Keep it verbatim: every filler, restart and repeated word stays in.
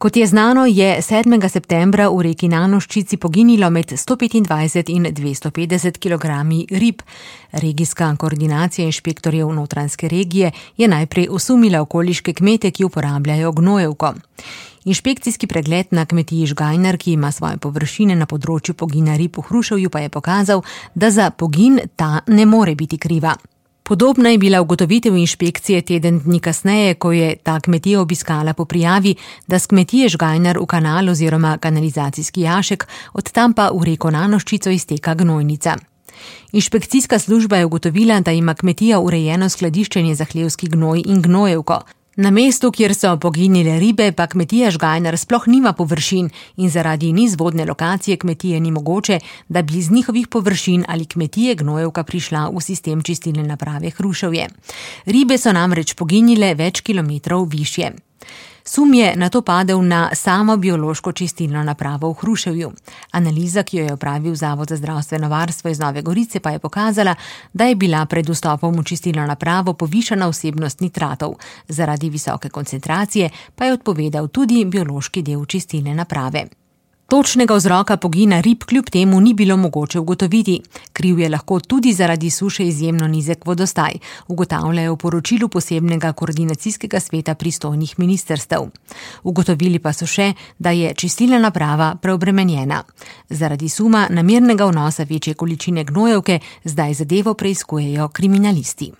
Kot je znano, je sedmega septembra v reki Nanoščici poginilo med sto petindvajset in dvesto petdeset kilogrami rib. Regijska koordinacija inšpektorjev Notranjske regije je najprej osumila okoliške kmete, ki uporabljajo gnojevko. Inšpekcijski pregled na kmetiji Žgajnar, ki ima svoje površine na področju pogina rib v Hruševju, pa je pokazal, da za pogin ta ne more biti kriva. Podobna je bila ugotovitev inšpekcije teden dni kasneje, ko je ta kmetija obiskala po prijavi, da s kmetije Žgajnar v kanal oziroma kanalizacijski jašek, od tam pa v reko Nanoščico izteka gnojnica. Inšpekcijska služba je ugotovila, da ima kmetija urejeno skladiščenje za hlevski gnoj in gnojevko. Na mestu, kjer so poginile ribe, pa kmetija Žgajnar sploh nima površin in zaradi nizvodne lokacije kmetije ni mogoče, da bi z njihovih površin ali kmetije gnojevka prišla v sistem čistilne naprave Hruševje. Ribe so namreč poginile več kilometrov višje. Sum je nato padel na samo biološko čistilno napravo v Hruševju. Analiza, ki jo je opravil Zavod za zdravstveno varstvo iz Nove Gorice, pa je pokazala, da je bila pred vstopom v čistilno napravo povišana vsebnost nitratov. Zaradi visoke koncentracije pa je odpovedal tudi biološki del čistilne naprave. Točnega vzroka pogina rib kljub temu ni bilo mogoče ugotoviti. Kriv je lahko tudi zaradi suše izjemno nizek vodostaj, ugotavljajo v poročilu posebnega koordinacijskega sveta pristojnih ministrstev. Ugotovili pa so še, da je čistilna naprava preobremenjena. Zaradi suma namernega vnosa večje količine gnojevke zdaj zadevo preiskujejo kriminalisti.